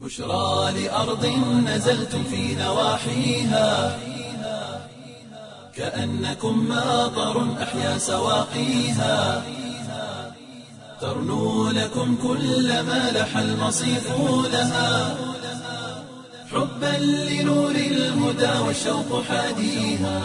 بشرى لأرض نزلتم في نواحيها كأنكم ماطر أحيا سواقيها ترنو لكم كل ما لح المصيف لها حبا لنور الهدى والشوق حاديها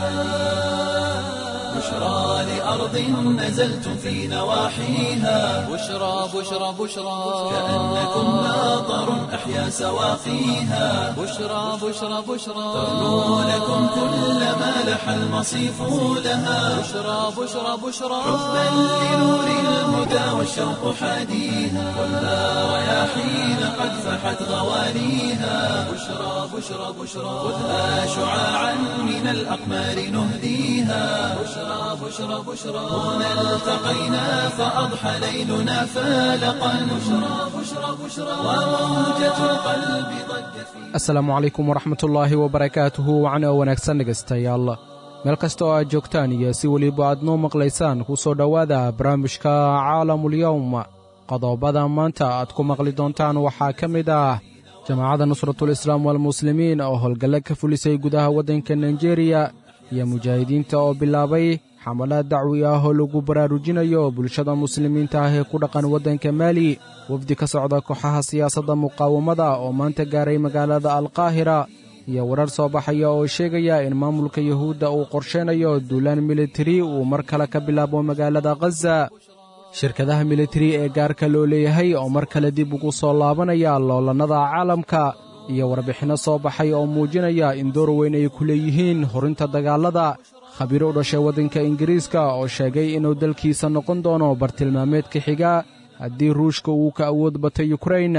بشرى لأرض نزلتم في نواحيها بشرى بشرى بشرى كأنكم ماطر أحيا سواقيها بشرى بشرى بشرى ترنو لكم كل ما لح المصيف لها بشرى بشرى بشرى حبا لنور الهدى والشوق حاديها خذها رياحين قد فحت غوانيها بشرى بشرى بشرى خذها شعاعا من الأقمار نهديها بشرى بشرى بشرى هنا التقينا فأضحى ليلنا فالقا بشرى بشرى بشرى وموجة القلب ضجت في Asalaamu calaykum waraxmatullaahi wabarakaatuhu wacna wanaagsan dhegaystayaal meel kasta oo aad joogtaan iyo si weliba aad noo maqlaysaan ku soo dhowaada barnaamijka caalamulyowm. Qodobada maanta aad ku maqli doontaan waxaa ka mid ah jamaacadda Nusratul Islaam walmuslimiin oo howlgalle ka fulisay gudaha waddanka Naijeeriya iyo mujaahidiinta oo bilaabay xamalaad dacwi ah oo lagu baraarujinayo bulshada muslimiinta ah ee ku dhaqan waddanka Maali, wafdi ka socda kooxaha siyaasadda muqaawamada oo maanta gaaray magaalada Alqaahira, iyo warar soo baxaya oo sheegaya in maamulka Yuhuudda uu qorshaynayo duulaan militari uu mar kale ka bilaabo magaalada Khaza, shirkadaha militari ee gaarka loo leeyahay oo mar kale dib ugu soo laabanaya loolannada caalamka, iyo warbixinno soo baxay oo muujinaya in door weyn ay ku leeyihiin horinta dagaallada, khabiiro u dhashay waddanka Ingiriiska oo sheegay inuu dalkiisa noqon doono bartilmaameedka xiga haddii Ruushka uu ka awood batay Yukrain.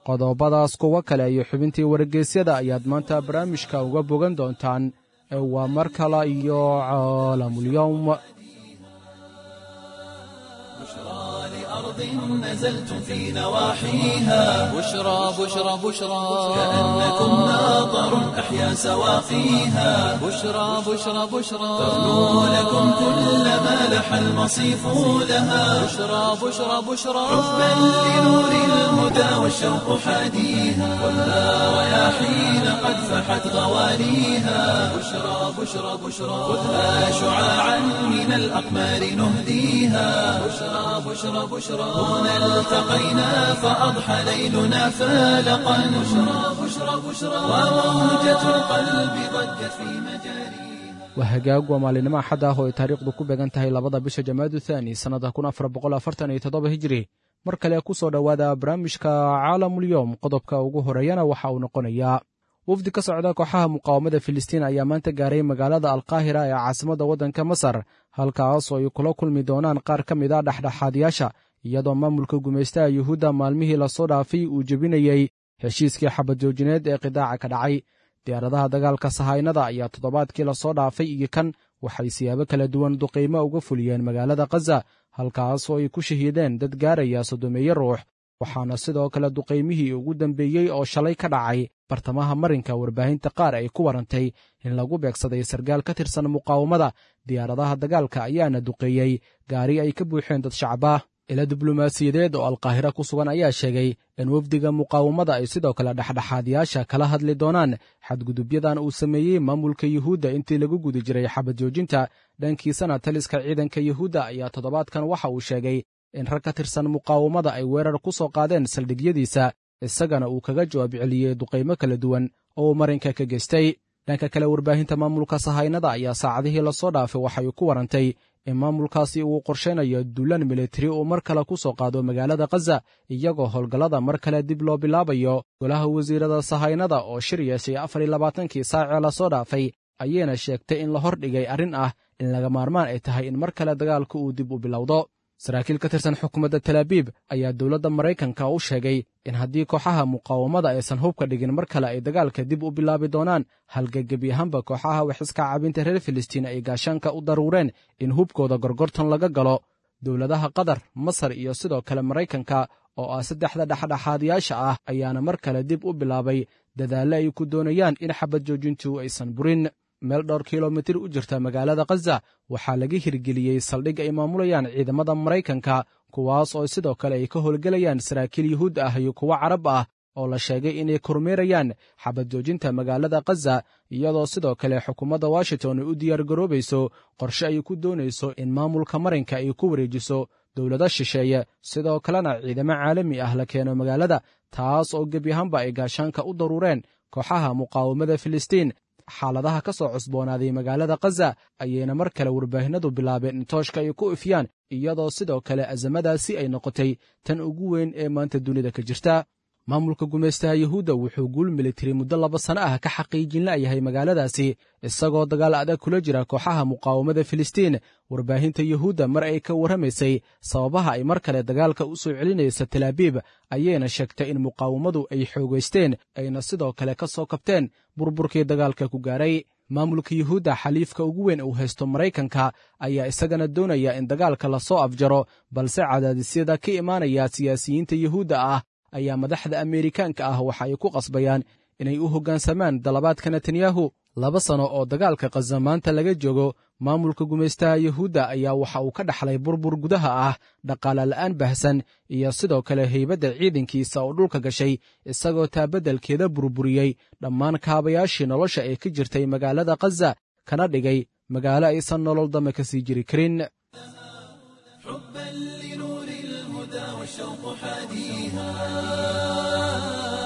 Qodobadaas, kuwo kale iyo xubintii wargeysyada ayaad maanta barnaamijka uga bogan doontaan. Ee waa mar kale iyo Caalamulyowm. بشرى لأرض نزلتم في نواحيها بشرى بشرى بشرى كأنكم ماطر أحيا سواقيها بشرى بشرى بشرى ترنو لكم كل ما لح المصيف لها بشرى بشرى بشرى حبا لنور الهدى والشوق حاديها خذها رياحين قد فحت غوانيها بشرى بشرى بشرى خذها شعاعا من الأقمار نهديها بشرى بشرى بشرى هنا التقينا فأضحى ليلنا فالقا بشرى بشرى بشرى وموجة القلب ضجت في مجاريها. Waa hagaag, waa maalinimo Axad ah oo ay taariikhdu ku beegan tahay 2da bisha Jamaadu Thaani sannada 1447 Hijri. Mar kale ku soo dhowaada barnaamijka Caalamulyowm. Qodobka ugu horeeyana waxa uu noqonayaa wafdi ka socda kooxaha muqaawamada Filistiin ayaa maanta gaaray magaalada Alqaahira ee caasimadda waddanka Masar, halkaas oo ay kula kulmi doonaan qaar ka mid a dhexdhexaadiyaasha, iyadoo maamulka gumaystaha Yuhuudda maalmihii lasoo dhaafay uu jebinayey heshiiskii xabadjoojineed ee qidaaca ka dhacay. Diyaaradaha dagaalka sahaynada ayaa toddobaadkii lasoo dhaafay iyo kan waxay siyaabo kala duwan duqiimo uga fuliyeen magaalada Khaza, halkaas oo ay ku shahiideen dad gaaraya 30-meeyo ruux, waxaana sidoo kale duqaymihii ugu dambeeyey oo shalay ka dhacay bartamaha marinka warbaahinta qaar ay ku warantay in lagu beegsaday sargaal ka tirsan muqaawamada. Diyaaradaha dagaalka ayaana duqeeyey gaari ay ka buuxeen dad shacaba. Ila diblomaasiyadeed oo Alqaahira ku sugan ayaa sheegay in wafdiga muqaawamada ay sidoo kale dhexdhexaadiyaasha kala hadli doonaan xadgudubyadan uu sameeyey maamulka Yuhuudda intii lagu guda jiray xabad joojinta. Dhankiisana taliska ciidanka Yuhuudda ayaa toddobaadkan waxa uu sheegay in rag ka tirsan muqaawamada ay weerar ku soo qaadeen saldhigyadiisa, isagana uu kaga jawaab celiyey duqaymo kala duwan oo uu marinka ka geystay. Dhanka kale, warbaahinta maamulka sahaynada ayaa saacadihii lasoo dhaafay waxay ku warantay in maamulkaasi uu qorshaynayo duulaan militari uu mar kale ku soo qaado magaalada Khaza, iyagoo howlgallada mar kale dib loo bilaabayo. Golaha wasiirada sahaynada oo shir yeeshay 24kii saacee lasoo dhaafay ayayna sheegtay in la hordhigay arrin ah in laga maarmaan ay tahay in mar kale dagaalku uu dib u bilowdo. Saraakiil ka tirsan xukuumadda Talaabiib ayaa dowladda Maraykanka u sheegay in haddii kooxaha muqaawamada aysan hubka dhigin, mar kale ay dagaalka dib u bilaabi doonaan, halka gebi ahaanba kooxaha waxiska cabinta reer Filistiin ay gaashaanka u daruureen in hubkooda gorgortan laga galo. Dowladaha Qatar, Masar iyo sidoo kale Maraykanka oo ah saddexda dhexdhexaadiyaasha ah ayaana mar kale dib u bilaabay dadaalle ay ku doonayaan in xabad joojintu aysan burin. Meel dhowr kilomitir u jirta magaalada Khaza waxaa laga hirgeliyey saldhig ay maamulayaan ciidamada Maraykanka, kuwaas oo sidoo kale ay ka howlgelayaan saraakiil Yuhuud ah iyo kuwo Carab ah oo la sheegay inay kormeerayaan xabad joojinta magaalada khaza, iyadoo sidoo kale xukuumadda Washington ay u diyaargaroobayso qorshe ay ku doonayso in maamulka marinka ay ku wareejiso dowlado shisheeye, sidoo kalena ciidamo caalami ah la keeno magaalada, taas oo gebi ahaanba ay gaashaanka u daruureen kooxaha muqaawamada Filistiin. Xaaladaha ka soo cusboonaaday magaalada Khaza ayayna mar kale warbaahinadu bilaabeen in tooshka ay ku ifyaan, iyadoo sidoo kale asamadaasi ay noqotay tan ugu weyn ee maanta dunida ka jirta. Maamulka gumaystaha Yuhuudda wuxuu guul militari muddo 2 sano ah ka xaqiijin la'yahay magaaladaasi, isagoo dagaal adag kula jira kooxaha muqaawamada Filistiin. Warbaahinta Yuhuudda mar ay ka warramaysay sababaha ay mar kale dagaalka u soo celinaysa Talaabiib ayayna sheegtay in muqaawamadu ay xoogaysteen, ayna sidoo kale ka soo kabteen burburkii dagaalka ku gaaray. Maamulka Yuhuudda xaliifka ugu weyn uu haysto Maraykanka ayaa isagana doonaya in dagaalka lasoo afjaro, balse cadaadisyada ka imaanaya siyaasiyiinta Yuhuudda ah ayaa madaxda Ameerikaanka ah waxa ay ku qasbayaan inay u hoggaansamaan dalabaadka Netanyahu. 2 sano oo dagaalka Khaza maanta laga joogo, maamulka gumaystaha Yuhuudda ayaa waxa uu ka dhaxlay burbur gudaha ah, dhaqaale la'aan baahsan iyo sidoo kale heybadda ciidankiisa oo dhulka gashay, isagoo taa beddelkeeda burburiyey dhammaan kaabayaashii nolosha ee ka jirtay magaalada Khaza, kana dhigay magaalo aysan nolol dame ka sii jiri karin. حبا لنور الهدى والشوق حاديها،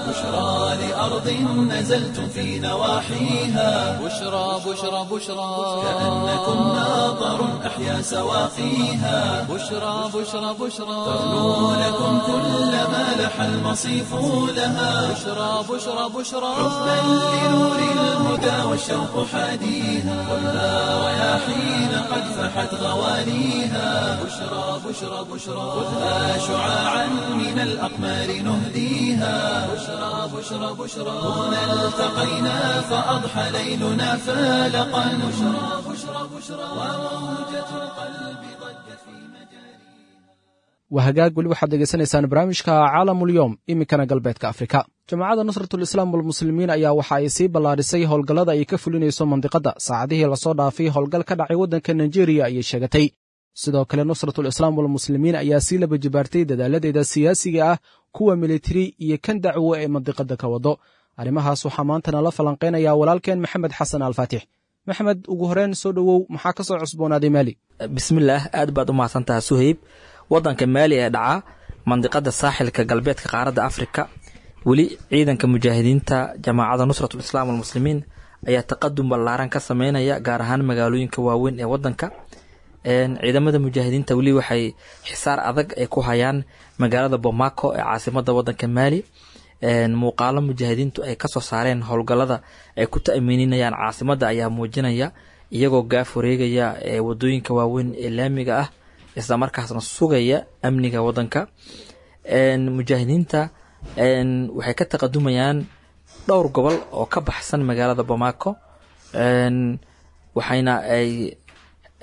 بشرى لأرض نزلت في نواحيها، بشرى بشرى بشرى، كأنكم ناظر أحيا سواقيها، بشرى بشرى بشرى، ترنو لكم كل ما لح المصيف لها، بشرى بشرى بشرى، حبا لنور الهدى والشوق حاديها، خذها رياحين قد فحت غوانيها، بشرى بشرى بشرى، خذها شعاعا من الأقمار نهديها، بشرى بشرى بشرى، هنا التقينا فأضحى ليلنا فالقا، بشرى بشرى بشرى، وموجة القلب ضجت في مجاريها. Waa hagaag, weli waxaad dhegaysanaysaan barnaamijka Caalamulyoom. Iminkana galbeedka Afrika, Jamaacadda Nusratul Islaam walmuslimiin ayaa waxa ay sii ballaadhisay howlgallada ay ka fulinayso mandiqadda. Saacadihii lasoo dhaafay howlgal ka dhacay waddanka Nigeria ayay sheegatay. Sidoo kale Nusratul Islaam walmuslimiin ayaa sii laba jibaartay dadaaladeeda siyaasiga ah, kuwa militari iyo kan dacwo ee mandiqadda ka wado. Arrimahaas waxaa maantana la falanqaynaya walaalkeen Maxamed Xasan Alfaatix. Maxamed, ugu horreyn soo dhowow, maxaa ka soo cusboonaaday Maali? Bismillaah, aad baad u mahadsantaha Suhayb. Wadanka Maali ee dhaca mandiqada saaxilka galbeedka qaaradda Afrika, weli ciidanka mujaahidiinta Jamaacada Nusratul Islaam walmuslimiin ayaa taqadum ballaaran ka sameynaya, gaar ahaan magaalooyinka waaweyn ee wadanka. Ciidamada mujaahidiinta weli waxay xisaar adag ay ku hayaan magaalada Bomako ee caasimada wadanka Maali. Muuqaalo mujaahidiintu ay kasoo saareen howlgallada ay ku ta'miininayaan caasimada ayaa muujinaya iyagoo gaaf wareegaya ee wadooyinka waaweyn ee laamiga ah, isla markaasna sugaya amniga wadanka. Mujaahidiinta waxay ka taqadumayaan dhowr gobol oo ka baxsan magaalada Bamako, waxayna ay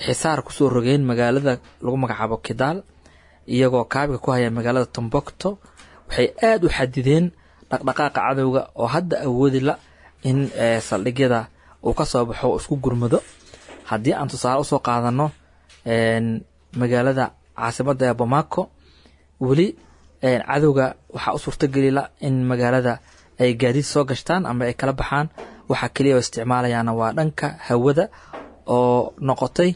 xisaar kusoo rogeen magaalada lagu magacaabo Kidaal, iyagoo kaabiga ku haya magaalada Tombocto. Waxay aada u xadideen dhaqdhaqaaqa cadowga oo hadda awoodi la in saldhigyada uu ka soo baxo oo isku gurmado. Haddii aan tusaale usoo qaadano magaalada caasimadda ee Bamako, weli cadowga waxaa u suurtogeli la in magaalada ay gaadiid soo gashtaan ama ay kala baxaan. Waxaa keliya oo isticmaalayaana waa dhanka hawada oo noqotay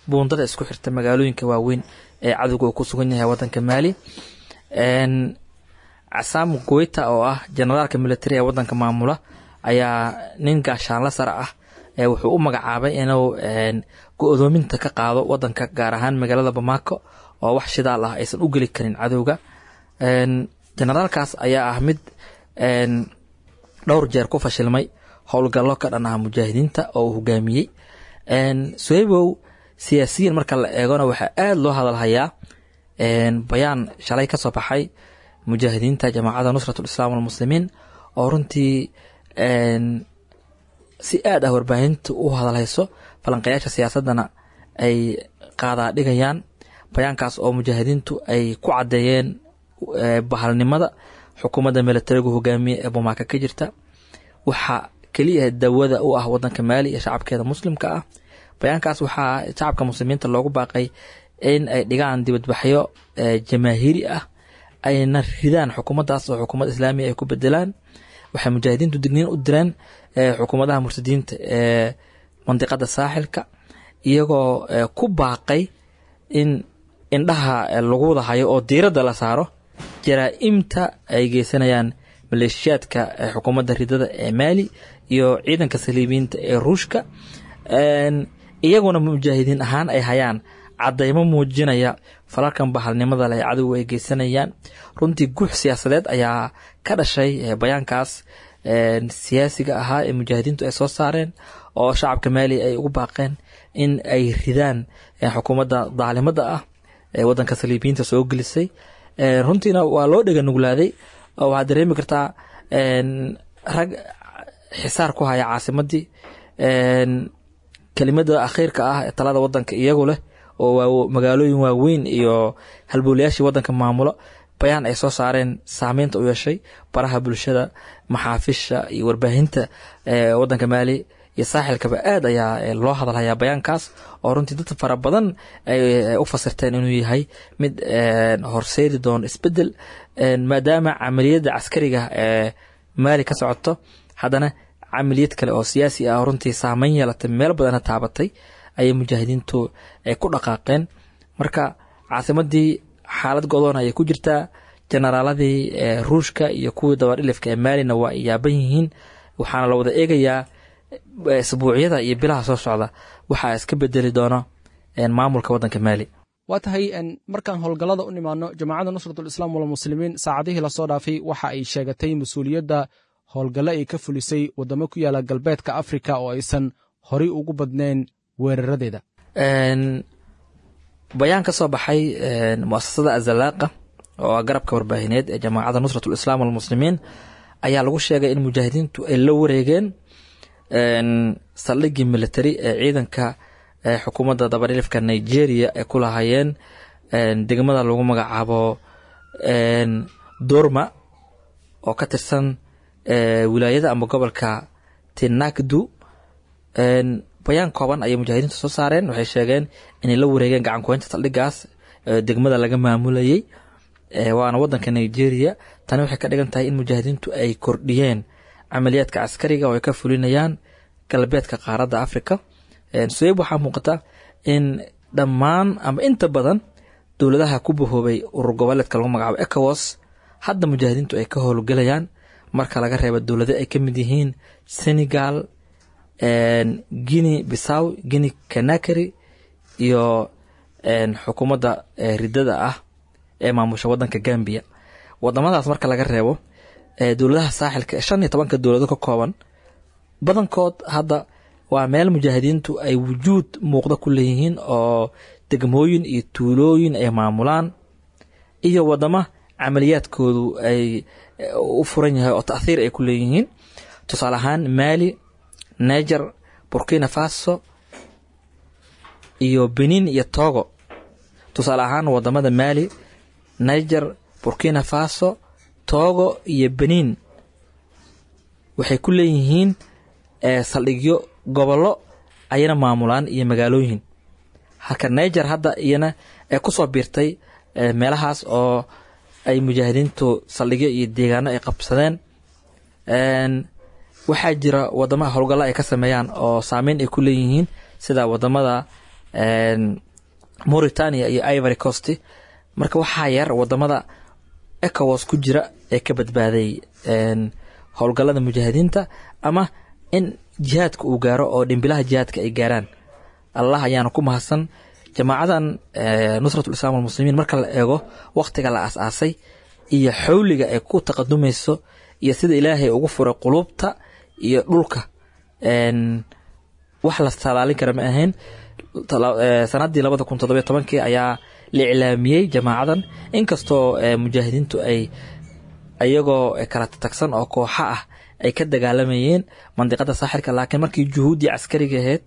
buundada isku xirta magaalooyinka waaweyn ee cadowga uu ku sugan yahay wadanka Maali. Casaam Goyta oo ah generaalka military ee wadanka maamula ayaa nin gaashaanla sare ah ee wuxuu u magacaabay inuu go-doominta ka qaado wadanka, gaar ahaan magaalada Bamako oo wax shidaal ah aysan u geli karin cadowga. Generaalkaas ayaa ah mid dhowr jeer ku fashilmay howlgallo ka dhan ah mujaahidiinta oo uu hogaamiyey. Suhaybow, siyaasiyiin marka la eegona waxaa aada loo hadalhayaa bayaan shalay ka soo baxay mujaahidiinta Jamaacadda Nusratul Islaam walmuslimiin oo runtii si aad ah warbaahinta u hadalhayso, falanqayaasha siyaasaddana ay qaadaa dhigayaan. Bayaankaas oo mujaahidiintu ay ku caddeeyeen bahalnimada xukuumadda militarigu hogaamiye ee Bomaaka ka jirta, waxaa keliya dawada u ah wadanka Maali iyo shacabkeeda muslimka ah. Bayaankaas waxaa shacabka muslimiinta loogu baaqay in ay dhigaan dibadbaxyo jamaahiiri ah, Ayna ridaan xukuumaddaas oo xukuumad islaamiya ay ku bedelaan. Waxay mujaahidiintu digniin u direen xukuumadaha murtadiinta ee mandiqada saaxilka, iyagoo ku baaqay in indhaha lagu wada hayo oo diiradda la saaro jaraa'imta ay geysanayaan maleeshiyaadka xukuumadda ridada ee Maali iyo ciidanka saliibiyiinta ee Ruushka, iyaguna mujaahidiin ahaan ay hayaan cadaymo muujinaya falalkan bahalnimada leh cadowga ay geysanayaan. Runtii guux siyaasadeed ayaa ka dhashay bayaankaas siyaasiga ahaa ee mujaahidiintu ay soo saareen, oo shacabka Maali ay ugu baaqeen in ay ridaan xukuumadda daalimada ah ee wadanka saliibiyiinta soo gelisay. Runtiina waa loo dhega nuglaaday, oo waxaad dareemi kartaa rag xisaar ku haya caasimadii, kelimada akhiirka ah ee talada wadanka iyagu leh, oo magaalooyin waaweyn iyo halbowlayaashii wadanka maamulo, bayaan ay soo saareen saameynta u yeeshay baraha bulshada, maxaafisha iyo warbaahinta wadanka Maali iyo saaxilkaba aad ayaa loo hadalhayaa bayaankaas, oo runtii dad fara badan ay u fasirteen inuu yahay mid horseedi doono isbedel, maadaama camaliyadda caskariga ee Maali ka socoto haddana camaliyad kale oo siyaasi ah oo runtii saameyn yeelatay, meel badana taabatay, ayay mujaahidiintu ay ku dhaqaaqeen. Marka caasimadii xaalad godoon ayay ku jirtaa, generaaladii Ruushka iyo kuwii dabadhilifka ee Maalina waa ay yaaban yihiin, waxaana la wada eegayaa isbuucyada iyo bilaha soo socda waxaa iska bedeli doona maamulka waddanka Maali. Waa tahay. Markaan howlgallada u nimaadno, Jamaacadda Nusratul Islaam walmuslimiin saacadihii lasoo dhaafay waxa ay sheegatay mas-uuliyadda howlgallo ay ka fulisay waddamo ku yaala galbeedka Afrika oo aysan horay ugu badnayn weeraradeeda. Bayaan ka soo baxay muasasada Azalaaqa, oo ah garabka warbaahineed ee Jamaacadda Nusratul Islaam walmuslimiin, ayaa lagu sheegay in mujaahidiintu ay la wareegeen saldhiggii military ee ciidanka xukuumadda dabadhilifka Nigeria ay ku lahaayeen degmada lagu magacaabo Dorma oo ka tirsan wilaayada ama gobolka Tinakdu. Bayaan kooban ayay mujaahidiintu soo saareen. Waxay sheegeen inay la wareegeen gacan kuhaynta saldhigaas degmada laga maamulayay, waana wadanka Nigeria. Tani waxay ka dhigan tahay in mujaahidiintu ay kordhiyeen camaliyaadka caskariga oo ay ka fulinayaan galbeedka qaaradda Africa. Suweyb, waxaa muuqata in dhammaan ama inta badan dowladaha ku bahoobay urur goboleedka lagu magacaabo ECOWAS hadda mujaahidiintu ay ka howlgelayaan, marka laga reebo dowlado ay ka mid yihiin Senegal, Guinea Bissau, Guinea Conakry iyo xukuumadda ridada ah ee maamusha wadanka Gambia. Wadamadaas marka laga reebo, dowladaha saaxilka 15-ka dowlado ka kooban badankood hadda waa meel mujaahidiintu ay wujuud muuqda ku leeyihiin, oo degmooyin iyo tuulooyin ay maamulaan iyo wadama camaliyaadkoodu ay u furan yahay oo ta'thiir ay ku leeyihiin, tusaale ahaan Mali, Niger, Burkina Faso iyo Benin iyo Togo. Tusaale ahaan wadamada Mali, Niger, Burkina Faso, Togo iyo Benin waxay ku leeyihiin saldhigyo, gobollo ayana maamulaan iyo magaalooyin, halka Niger hadda iyana ay kusoo biirtay meelahaas oo ay mujaahidiintu saldhigyo iyo deegaano ay qabsadeen. Waxaa jira wadamaha howlgalla ay ka sameeyaan oo saameyn ay ku leeyihiin, sida wadamada Mauritania iyo Ivory Coast. Marka waxaa yar wadamada ECOWAS ku jira ee ka badbaaday howlgallada mujaahidiinta ama in jihaadka uu gaaro oo dhimbilaha jihaadka ay gaaraan. Allah ayaana ku mahadsan. Jamaacadan Nusratul Islaam walmuslimiin, marka la eego wakhtiga la aas-aasay iyo xawliga ay ku taqadumayso iyo sida Ilaahay ugu furay quluubta iyo dhulka, wax la talaalin kara ma ahayn. Sanadii 2017-kii ayaa la iclaamiyey jamaacadan, inkastoo mujaahidiintu ay iyagoo kala tagsan oo kooxa ah ay ka dagaalamayeen mandiqada saaxilka, laakiin markii juhuuddii caskariga ahayd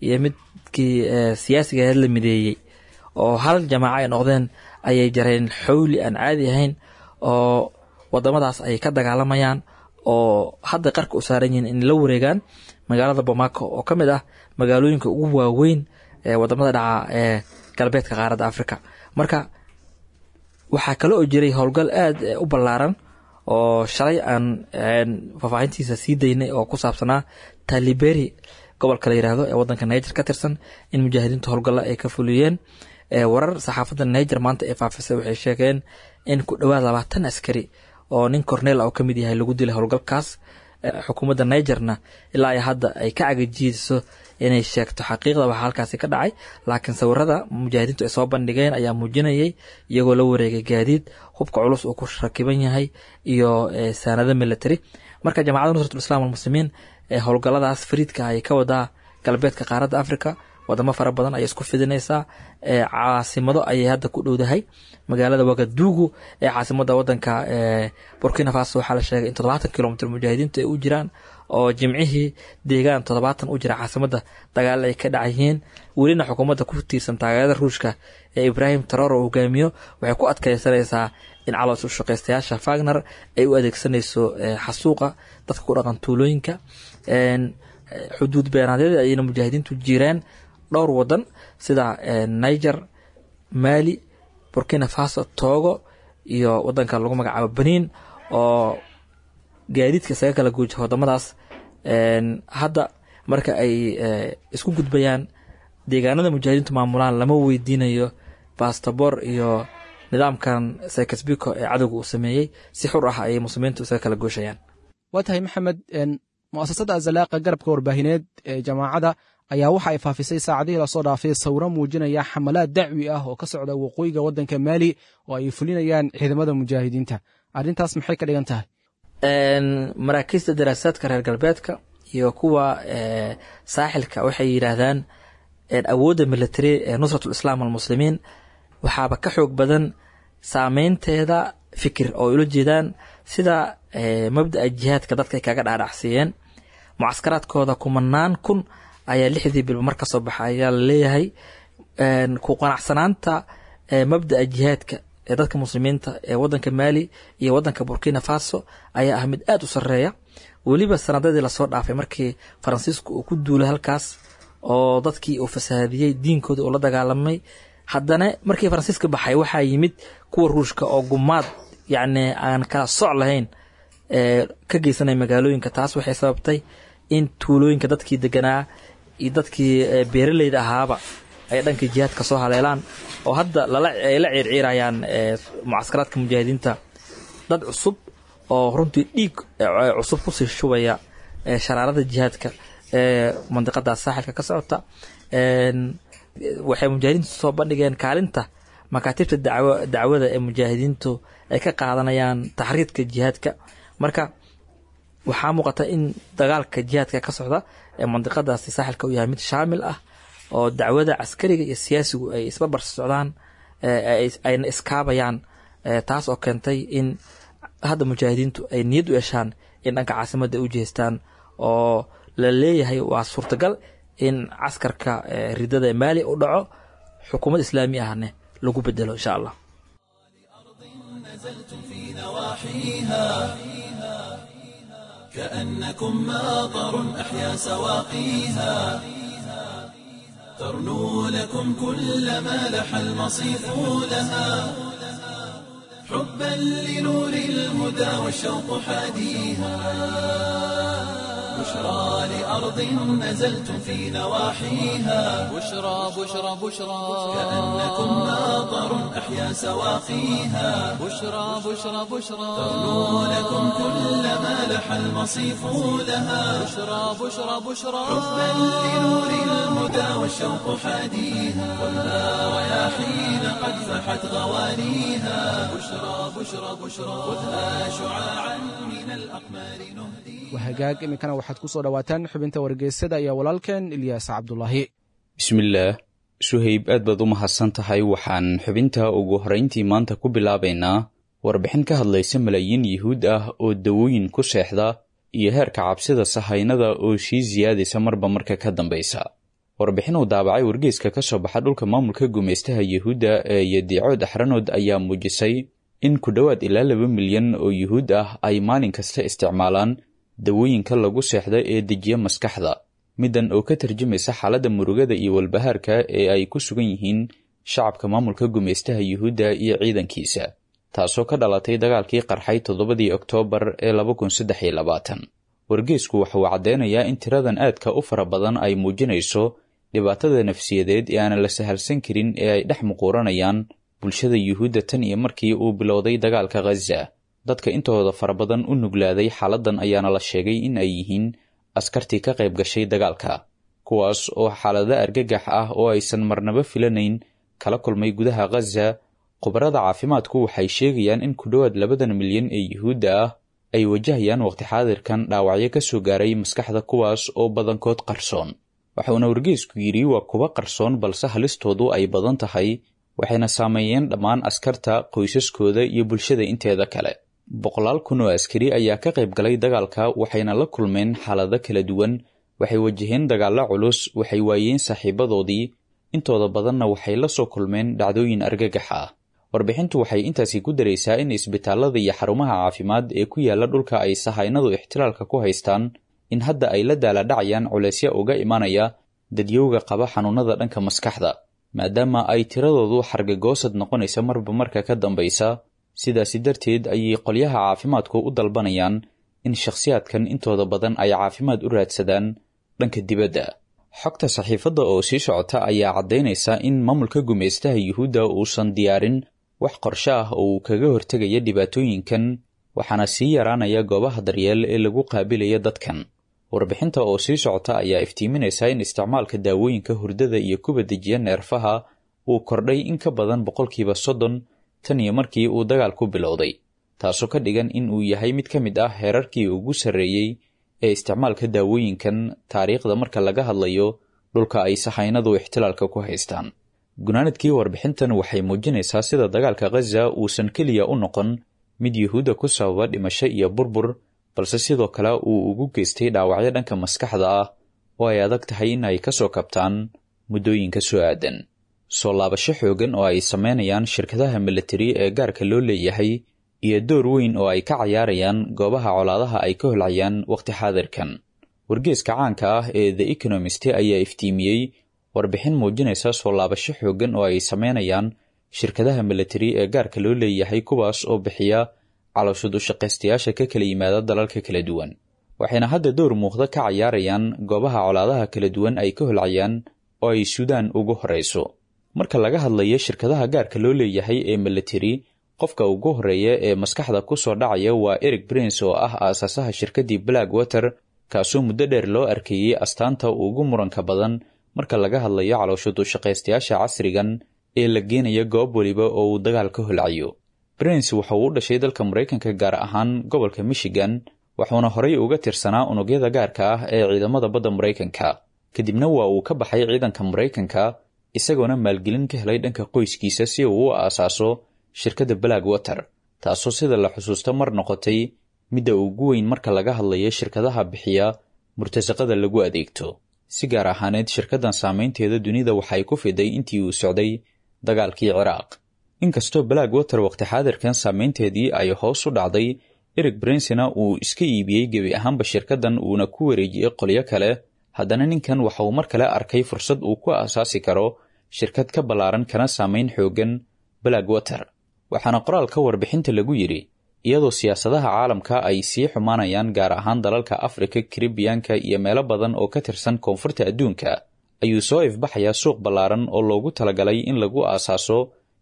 iyo midkii siyaasiga ahayd la mideeyey oo hal jamaaco ay noqdeen, ayay jareen xawli aan caadi ahayn oo wadamadaas ay ka dagaalamayaan, oo hadda qarka u saaran yihiin in la wareegaan magaalada Bamako oo ka mid ah magaalooyinka ugu waaweyn ee wadamada dhaca ee galbeedka qaaradda Africa. Marka Waxaa kale oo jiray howlgal aada u ballaaran oo shalay aan faahfaahintiisa sii daynay oo ku saabsanaa Taliberi, gobolka la yiraahdo ee wadanka Niger ka tirsan, in mujaahidiintu howlgalla ay ka fuliyeen. Warar saxaafadda Niger maanta ee faafisay waxay sheegeen in ku dhowaad 20 askari oo nin corneel ah oo ka mid yahay lagu dilay howlgalkaas. Xukuumadda Nigerna ilaa ay hadda ay ka cagajiiso inay sheegto xaqiiqda waxa halkaasi ka dhacay, laakiin sawirada mujaahidiintu ay soo bandhigeen ayaa muujinayay iyagoo la wareegay gaadiid hubka culus uu ku rakiban yahay iyo saanado military. Marka Jamacadda Nusratul Islam walmuslimiin ee howlgalladaas fariidka ay ka wadaa galbeedka qaaradda Africa, wadamo fara badan ayay isku fidinaysaa. Caasimado ayay hadda ku dhowdahay. Magaalada Wagadugu ee caasimada wadanka Burkina Faso waxaa la sheegay in 70 kilomitr mujaahidiintu ay u jiraan, oo jimcihii deegaan 70 u jira caasimada dagaal ay ka dhacayihiin. Welina xukuumadda ku tiirsan taageerada Ruushka ee Ibrahim Taroro uu hogaamiyo waxay ku adkeysanaysaa in caloos ushaqeystayaasha Fagner ay u adeegsanayso xasuuqa dadka ku dhaqan tuulooyinka. Xuduud beenaadyada ayayna mujaahidiintu jireen dhowr wadan sida Niger, Mali, Burkina Faso, Togo iyo wadanka lagu magacaabo Benin, oo gaadiidka isaga kala guuja wadamadaas. Hadda marka ay isku gudbayaan deegaanada mujaahidiintu maamulaan lama weydiinayo bastaboor iyo nidaamkan Sykes-Picot ee cadowga uu sameeyey, si xur ah ayay muslimiintu isaga kala gooshayaan. Waa tahay Maxamed. Mu'asasada Azalaaqa, garabka warbaahineed ee jamaacada, ayaa waxa ay faafisay saacadihii lasoo dhaafay sawiro muujinaya xamalaad dacwi ah oo ka socda waqooyiga waddanka Maali oo ay fulinayaan ciidamada mujaahidiinta. Arrintaas maxay ka dhigan tahay? Maraakiista daraasaadka reer galbeedka iyo kuwa saaxilka waxay yidhaahdaan awoodda military ee Nusratul Islaam almuslimiin waxaaba ka xoog badan saameynteeda fikir, oo ay ula jeedaan sida mabda'a jihaadka dadka ay kaga dhaadhacsiiyeen. Mucaskaraadkooda kumanaan kun ayaa lixdii bilba mar ka soo baxa ayaa la leeyahay. Ku qanacsanaanta mabda'a jihaadka ee dadka muslimiinta ee wadanka Maali iyo wadanka Burkina Faso ayaa ah mid aada u sareeya, weliba sanadadii lasoo dhaafay markii Faransiisku uu ku duulay halkaas oo dadkii uu fasahaadiyey, diinkooda uu la dagaalamay. Haddana markii Faransiiska baxay waxaa yimid kuwa Ruushka oo gumaad yacni aan kala soc lahayn ka geysanaya magaalooyinka. Taas waxay sababtay in tuulooyinka dadkii deganaa iyo dadkii beeraleyda ahaaba ay dhanka jihaadka soo haleelaan, oo hadda ay la ciirciirayaan mucaskaraadka mujaahidiinta dad cusub oo runtii dhiig cusub kusii shubaya sharaarada jihaadka ee mandiqadaas saaxilka ka socota. Waxay mujaahidiintu soo bandhigeen kaalinta makaatibta dacwada ee mujaahidiintu ay ka qaadanayaan taxriidka jihaadka. Marka waxaa muuqata in dagaalka jihaadka ka socda ee mandiqadaasi saaxilka uu yahay mid shaamil ah, oo dacwada caskariga iyo siyaasigu ay isbarbar socdaan, ayna iskaabayaan, taas oo keentay in hadda mujaahidiintu ay niyad u yeeshaan in dhanka caasimadda ay u jeestaan, oo la leeyahay waa suurtagal in caskarka ridada ee Maali u dhaco, xukuumad islaami ahne lagu bedelo insha Allah. نزلتم في نواحيها كأنكم ماطر أحيا سواقيها، ترنو لكم كل ما لح المصيف لها حبا لنور الهدى والشوق حاديها. بشرى لأرض نزلتم في نواحيها بشرى بشرى بشرى كأنكم ماطر أحيا سواقيها بشرى بشرى بشرى ترنو لكم كل ما لح المصيف لها بشرى بشرى بشرى حبا لنور الهدى والشوق حاديها، خذها رياحين قد فحت غوانيها. بشرى بشرى بشرى خذها شعاعا من الأقمار نهديها. Wahagaag, iminkana waxaad ku soo dhowaataan xubinta wargeysyada iyo walaalkeen Ilyaas Cabdulaahi. Bismillaah Suhayb, aad baad u mahadsan tahay. Waxaan xubinta ugu horrayntii maanta ku bilaabaynaa warbixin ka hadlaysa malaayiin yuhuud ah oo dawooyin ku seexda iyo heerka cabsida sahaynada oo sii siyaadaysa marba marka ka dambaysa. Warbixin uu daabacay wargeyska ka soo baxa dhulka maamulka gumaystaha yuhuudda ee Yadiicood Axranood ayaa muujisay in ku dhowaad ilaa 2 milyan oo yuhuud ah ay maalin kasta isticmaalaan dawooyinka lagu seexda ee dejiya maskaxda, middan oo ka tarjumaysa xaaladda murugada iyo walbahaarka ee ay ku sugan yihiin shacabka maamulka gumaystaha yuhuudda iyo ciidankiisa. taasoo ka dhalatay dagaalkii qarxay 7dii Oktoobar ee 2023. Wargeysku waxa uu caddeynayaa in tiradan aadka u fara badan ay muujinayso dhibaatada nafsiyadeed ee aanan la sahalsan karin ee ay dhex muquuranayaan bulshada Yuhuudda tan iyo markii uu bilowday dagaalka Khaza. Dadka intooda fara badan u nuglaaday xaaladdan ayaana la sheegay in ay yihiin askartii ka qayb gashay dagaalka, kuwaas oo xaalado argagax ah oo aysan marnaba filanayn kala kulmay gudaha Khaza. Khubarada caafimaadku waxay sheegayaan in ku dhowaad 2 milyan ee Yuhuudda ah ay wajahayaan waqti xaadirkan dhaawacyo ka soo gaaray maskaxda, kuwaas oo badankood qarsoon. Waxauna wargeysku yidhi waa kuwa qarsoon balse halistoodu ay badan tahay, waxayna saameeyeen dhammaan askarta, qoysaskooda iyo bulshada inteeda kale. Boqolaal kun oo askari ayaa ka qayb galay dagaalka, waxayna la kulmeen xaalado kala duwan, waxay wajaheen dagaallo culus, waxay waayeen saaxiibadoodii, intooda badanna waxay la soo kulmeen dhacdooyin argagax ah. Warbixintu waxay intaasi ku daraysaa in isbitaallada iyo xarumaha caafimaad ee ku yaalla dhulka ay sahaynadu ixtilaalka ku haystaan in hadda ay la daaladhacayaan culaysya uga imanaya dadyowga qaba xanuunada dhanka maskaxda, maadaama ay tiradoodu xargagoosad noqonaysa marba marka ka dambaysa. Sidaasi darteed ayay qolyaha caafimaadku u dalbanayaan in shakhsiyaadkan intooda badan ay caafimaad u raadsadaan dhanka dibadda. Xogta saxiifadda oo sii socota ayaa caddaynaysa in maamulka gumaystaha Yuhuudda uusan diyaarin wax qorshe ah oo uu kaga hortegaya dhibaatooyinkan, waxaana sii yaraanaya goobaha daryeel ee lagu qaabilaya dadkan. Warbixinta oo sii socota ayaa iftiiminaysa in isticmaalka daawooyinka hurdada iyo kuwa dejiya neerfaha uu kordhay in ka badan 30% tan iyo markii uu dagaalku bilowday, taasoo ka dhigan in uu yahay mid ka mid ah heerarkii ugu sarreeyey ee isticmaalka daawooyinkan taariikhda marka laga hadlayo dhulka ay sahaynadu ixtilaalka ku haystaan. Gunaanadkii warbixintan waxay muujinaysaa sida dagaalka Khaza uusan keliya u noqon mid Yuhuudda ku sababa dhimasho iyo burbur, balse sidoo kale uu ugu geystay dhaawacyo dhanka maskaxda ah oo ay adag tahay in ay ka soo kabtaan muddooyinka soo aadan. Soo laabasho xoogan oo ay sameynayaan shirkadaha militari ee gaarka loo leeyahay iyo door weyn oo ay ka cayaarayaan goobaha colaadaha ay ka holcayaan waqti xaadirkan. Wargeeska caanka ah ee The Economist ayaa iftiimiyey warbixin muujinaysa soo laabasho xoogan oo ay sameynayaan shirkadaha militari ee gaarka loo leeyahay, kuwaas oo bixiya calooshud ushaqaystayaasha ka kala yimaada dalalka kala duwan, waxayna hadda door muuqda ka cayaarayaan goobaha colaadaha kala duwan ay ka holcayaan oo ay Suudaan ugu horreyso. Marka laga hadlayo shirkadaha gaarka loo leeyahay ee militari, qofka ugu horreeya ee maskaxda ku soo dhacaya waa Eric Prince oo ah aasaasaha shirkaddii Blackwater, kaasoo muddo dheer loo arkayey astaanta ugu muranka badan marka laga hadlayo calooshud ushaqaystayaasha casrigan ee la geenaya goob weliba oo uu dagaal ka holcayo. Prince waxa uu u dhashay dalka Maraykanka, gaar ahaan gobolka Michigan, wuxuuna horey uga tirsanaa unugyada gaarka ah ee ciidamada badda Maraykanka. Kadibna waa uu ka baxay ciidanka Maraykanka, isagoona maalgelin ka helay dhanka qoyskiisa si uu u aasaaso shirkadda Blackwater, taasoo sida la xusuusto mar noqotay midda ugu weyn marka laga hadlayo shirkadaha bixiya murtasaqada lagu adeegto. Si gaar ahaaneed shirkaddan saameynteeda dunida waxay ku fiday intii uu socday dagaalkii Ciraaq. Inkastoo Blackwater waqti xaadirkan saameynteedii ay hoos u dhacday, Eric Princena uu iska iibiyey gebi ahaanba shirkaddan uuna ku wareejiyey qolyo kale, haddana ninkan waxa uu mar kale arkay fursad uu ku aasaasi karo shirkad ka ballaaran kana saameyn xooggan Blackwater. Waxaana qoraalka warbixinta lagu yidhi iyadoo siyaasadaha caalamka ay sii xumaanayaan, gaar ahaan dalalka Afrika, Karibiyaanka iyo meelo badan oo ka tirsan koonfurta adduunka, ayuu soo ifbaxayaa suuq ballaaran oo loogu talagalay in lagu aasaaso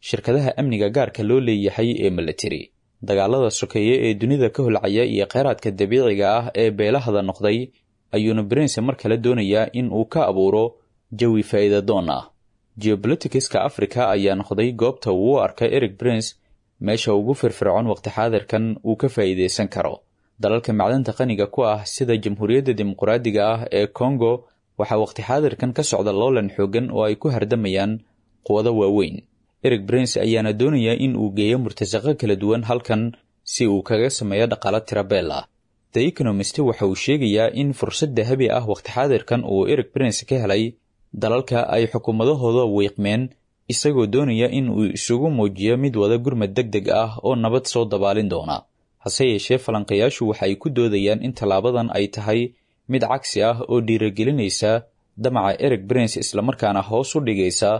shirkadaha amniga gaarka loo leeyahay ee militari. Dagaalada sokeeye ee dunida ka holcaya iyo kheyraadka dabiiciga ah ee beelahada noqday ayuuna Prince mar kale doonayaa in uu ka abuuro jawi faa'iidadoon ah. Geopoliticska Afrika ayaa noqday goobta uu u arka Eric Prince meesha ugu firfircoon waqti xaadirkan uu ka faa'iidaysan karo. Dalalka macdanta qaniga ku ah sida Jamhuuriyadda Dimuqraadiga ah ee Congo waxaa waqti xaadirkan ka socda loolan xooggan oo ay ku hardamayaan quwado waaweyn. Eric Prince ayaana doonaya in uu geeyo murtasaqo kala duwan halkan si uu kaga sameeyo dhaqaalo tirabeel ah. The Economist waxa uu sheegayaa in fursad dahabi ah waqti xaadirkan uu Eric Prince ka helay dalalka ay xukuumadahooda wiiqmeen, isagoo doonaya in uu isugu muujiyo mid wada gurmad deg deg ah oo nabad soo dabaalin doona. Hase yeeshee falanqayaashu waxa ay ku doodayaan in tallaabadan ay tahay mid cagsi ah oo dhiirigelinaysa damaca Eric Prince, islamarkaana hoos u dhigaysa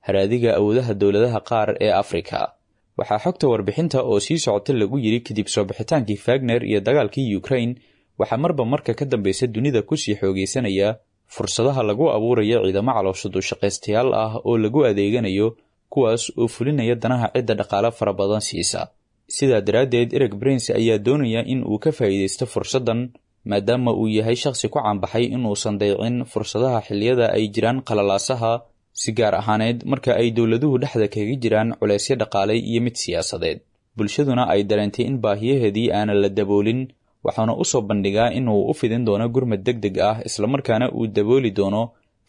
haraadiga awoodaha dowladaha qaar ee Afrika. Waxaa xogta warbixinta oo sii socota lagu yidhi kadib soo bixitaankii Fagner iyo dagaalkii Ukraine, waxaa marba marka ka dambeysa dunida kusii xoogaysanaya fursadaha lagu abuurayo ciidamo caloosha dushaqaystayaal ah oo lagu adeeganayo, kuwaas oo fulinaya danaha cidda dhaqaale fara badan siisa. Sidaa daraaddeed, Ereg Prince ayaa doonaya in uu ka faa'iidaysto fursaddan, maadaama uu yahay shakhsi ku caanbaxay inuusan daycin fursadaha xilliyada ay jiraan qalalaasaha, si gaar ahaaneed marka ay dowladuhu dhexda kaga jiraan culaysyo dhaqaale iyo mid siyaasadeed, bulshaduna ay dareentay in baahiyaheedii aanan la daboolin. Waxaana u soo bandhigaa inuu u fidin doono gurmad deg deg ah, islamarkaana uu dabooli doono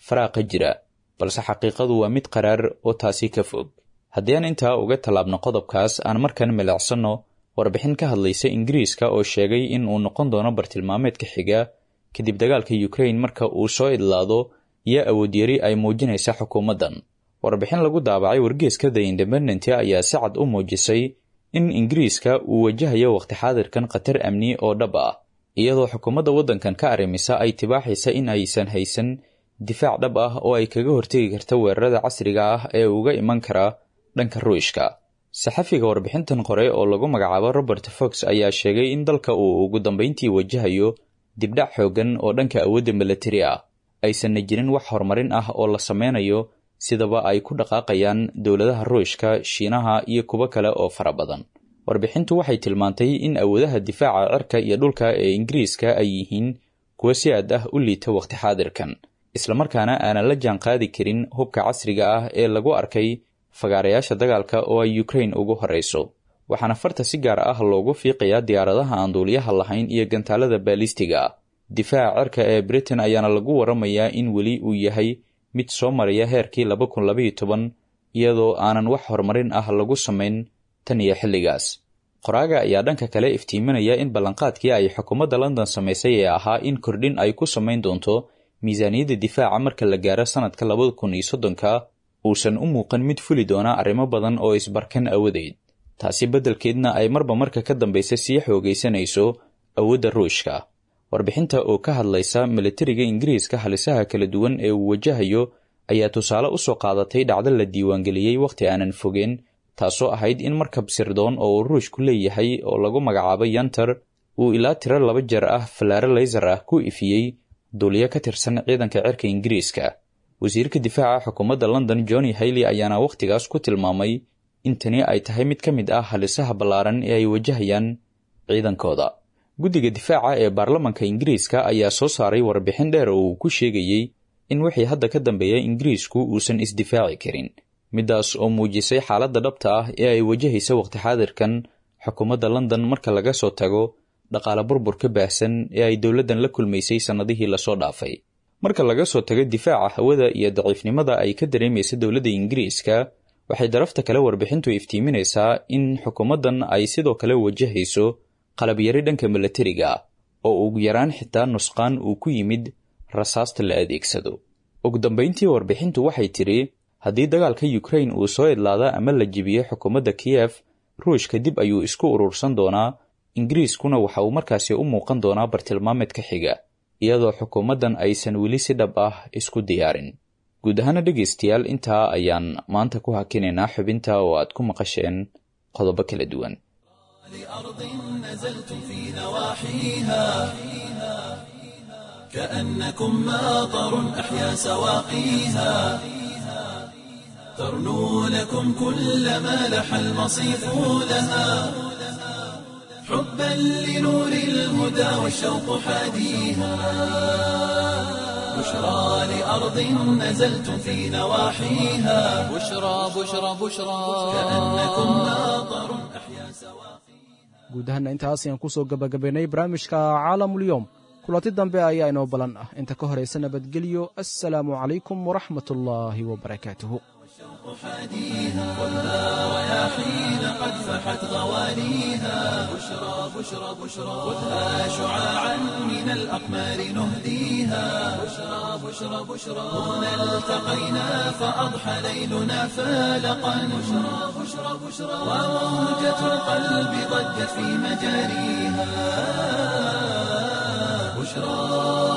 faraaqa jira, balse xaqiiqadu waa mid qaraar oo taasi ka fog. Haddii aan intaa uga tallaabno qodobkaas, aan markan milicsanno warbixin ka hadlaysa Ingiriiska oo sheegay in uu noqon doono bartilmaameedka xiga kadib dagaalka Ukraine marka uu soo idlaado, iyo awoodyari ay muujinaysa xukuumaddan. Warbixin lagu daabacay wargeeska The Independent ayaa si cad u muujisay in Ingiriiska uu wajahayo waqti xaadirkan khatar amni oo dhab ah, iyadoo xukuumadda waddankan ka arrimisa ay tibaaxaysa in aysan haysan difaac dhab ah oo ay kaga hortegi karta weerarada casriga ah ee uga iman kara dhanka Ruushka. Saxafiga warbixintan qore oo lagu magacaabo Robert Fox ayaa sheegay in dalka uu ugu dambeyntii wajahayo dibdhac xooggan oo dhanka awoodda milatari ah, aysanna jirin wax horumarin ah oo la sameynayo, sidaba ay ku dhaqaaqayaan dowladaha Ruushka, Shiinaha iyo kuwo kale oo fara badan. Warbixintu waxay tilmaantay in awoodaha difaaca cirka iyo dhulka ee Ingiriiska ay yihiin kuwo si aad ah u liita waqti xaadirkan, islamarkaana aanan la jaan qaadi karin hubka casriga ah ee lagu arkay fagaarayaasha dagaalka oo ay Ukraine ugu horreyso. Waxaana farta si gaar ah loogu fiiqayaa diyaaradaha aan duuliyaha lahayn iyo gantaalada baalistiga ah. Difaaca cirka ee Britain ayaana lagu waramayaa in weli uu yahay mid soo maraya heerkii 2012, iyadoo aanan wax horumarin ah lagu samayn tan iyo xilligaas. Qoraaga ayaa dhanka kale iftiiminaya in ballanqaadkii ay xukuumadda London samaysay ee ahaa in kordhin ay ku samayn doonto miisaaniyadda difaaca marka la gaaro sannadka 2030-ka uusan u muuqan mid fuli doona arrimo badan oo isbarkan awadeed, taasi beddelkeedna ay marba marka ka dambeysa sii xoogaysanayso awoodda Ruushka. Warbixinta oo ka hadlaysa milatariga Ingiriiska halisaha kala duwan ee uu wajahayo ayaa tusaale u soo qaadatay dhacdo la diiwaangeliyey wakhti aanan fogeen, taasoo ahayd in markab sirdoon oo uu Ruushku leeyahay oo lagu magacaabo Yantar uu ilaa tiro laba jeer ah falaare laysar ah ku ifiyey duuliyo ka tirsan ciidanka cirka Ingiriiska. Wasiirka difaaca xukuumadda London Johnny Hailey ayaana wakhtigaas ku tilmaamay in tani ay tahay mid ka mid ah halisaha ballaaran ee ay wajahayaan ciidankooda. Guddiga difaaca ee baarlamanka Ingiriiska ayaa soo saaray warbixin dheer oo uu ku sheegayey in wixii hadda ka dambeeya Ingiriisku uusan isdifaaci karin, middaas oo muujisay xaaladda dhabta ah ee ay wajahaysa waqti xaadirkan xukuumadda London marka laga soo tago dhaqaale burbur ka baahsan ee ay dowladdan la kulmaysay sannadihii lasoo dhaafay. Marka laga soo tago difaaca hawada iyo daciifnimada ay ka dareemaysa dowladda Ingiriiska, waxay darafta kale warbixintu iftiiminaysaa in xukuumaddan ay sidoo kale wajahayso qalabyari dhanka milatariga oo ugu yaraan xitaa nusqaan uu ku yimid rasaasta la adeegsado. Ugu dambeyntii, warbixintu waxay tidhi haddii dagaalka Ukraine uu soo idlaada ama la jebiyo xukuumadda Kiyef, Ruushka dib ayuu isku urursan doonaa, Ingiriiskuna waxa uu markaasi u muuqan doonaa bartilmaameedka xiga, iyadoo xukuumaddan aysan weli si dhab ah isku diyaarin. Guud ahaana dhegaystayaal, intaa ayaan maanta ku hakinaynaa xubinta oo aad ku maqasheen qodobo kala duwan. لأرض نزلتم في نواحيها كأنكم ماطر أحيا سواقيها، ترنو لكم كل ما لح المصيف لها، حبا لنور الهدى والشوق حاديها، بشرى لأرض نزلتم في نواحيها بشرى بشرى بشرى كأنكم ماطر أحيا سواقيها. Guud ahaana intaas ayaan ku soo gabagabaynay barnaamijka Caalamulyoom. Kulanti dambe ayaa inoo balan ah, inta ka horaysa nabadgelyo. Assalaamu calaykum waraxmat ullaahi wabarakaatuhu. حاديها والنار يا حين قد فحت غواليها، بشرى بشرى بشرى خذها شعاعا من الأقمار نهديها، بشرى بشرى بشرى هنا التقينا فأضحى ليلنا فالقا، بشرى بشرى بشرى وموجة القلب ضجت في مجاريها، بشرى.